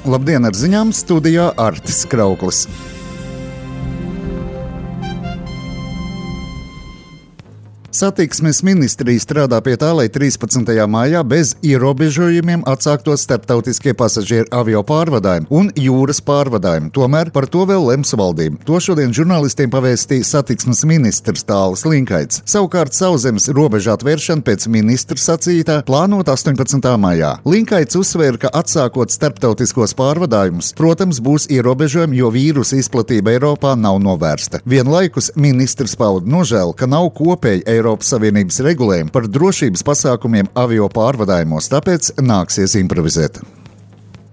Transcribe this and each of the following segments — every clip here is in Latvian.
Labdien, ar ziņām studijā Artis Krauklis. Satiksmes ministrija strādā pie tā, lai 13. maijā bez ierobežojumiem atsāktos starptautiskie pasažieru avio pārvadājumi un jūras pārvadājumi. Tomēr par to vēl lems valdība. To šodien žurnālistiem pavēstīja satiksmes ministrs Tālis Linkaits. Savukārt sauszemes robežu atvēršana pēc ministra sacītā plānot 18. maijā. Linkaits uzsvēra, ka atsākot starptautiskos pārvadājumus, protams, būs ierobežojumi, jo vīrusa izplatība Eiropā nav novērsta. Vienlaikus ministrs pauda nožēlu, ka nav kopēji Eiropas Savienības regulējumi par drošības pasākumiem avio pārvadājumos, tāpēc nāksies improvizēt.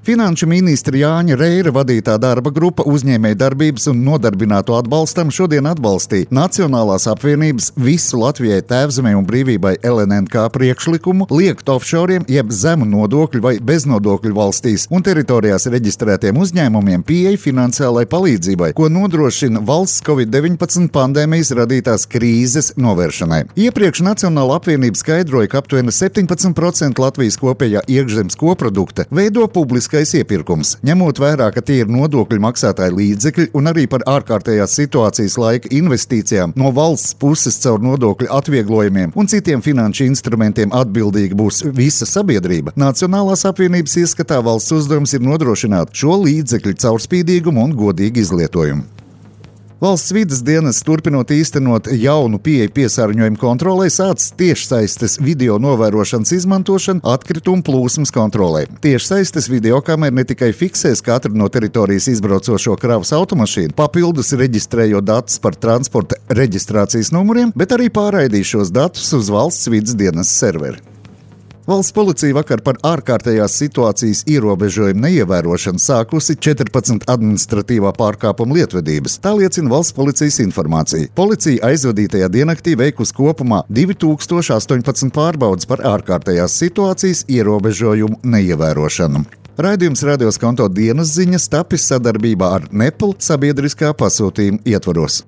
Finanšu ministra Jāņa Reira vadītā darba grupa uzņēmēju darbības un nodarbināto atbalstam šodien atbalstīja Nacionālās apvienības Visu Latvijai tēvzemei un brīvībai LNNK priekšlikumu liekt offshoriem jeb zemu nodokļu vai beznodokļu valstīs un teritorijās reģistrētiem uzņēmumiem pieeja finansiālai palīdzībai, ko nodrošina valsts Covid-19 pandēmijas radītās krīzes novēršanai. Iepriekš Nacionāla apvienība skaidroja, ka aptuveni 17% Latvijas kopējā iekšzemes koprodukta veido publiskais iepirkums. Ņemot vērā, ka tie ir nodokļu maksātāju līdzekļi un arī par ārkārtējās situācijas laika investīcijām no valsts puses caur nodokļu atvieglojumiem un citiem finanšu instrumentiem atbildīga būs visa sabiedrība, Nacionālās apvienības ieskatā valsts uzdevums ir nodrošināt šo līdzekļu caurspīdīgumu un godīgu izlietojumu. Valsts vides dienests turpinot īstenot jaunu pieeju piesārņojumu kontrolē, sācis tiešsaistes video novērošanas izmantošanu atkritumu plūsmas kontrolē. Tiešsaistes videokamera ne tikai fiksēs katru no teritorijas izbraucošo kravas automašīnu, papildus reģistrējot datus par transporta reģistrācijas numuriem, bet arī pārraidīs šos datus uz valsts vides dienesta serveri. Valsts policija vakar par ārkārtējās situācijas ierobežojumu neievērošanu sākusi 14 administratīvā pārkāpuma lietvedības. Tā liecina valsts policijas informācija. Policija aizvadītajā diennaktī veikusi kopumā 2018 pārbaudes par ārkārtējās situācijas ierobežojumu neievērošanu. Raidījums Radios Konto dienas ziņas tapis sadarbībā ar Nepal sabiedriskā pasūtījuma ietvaros.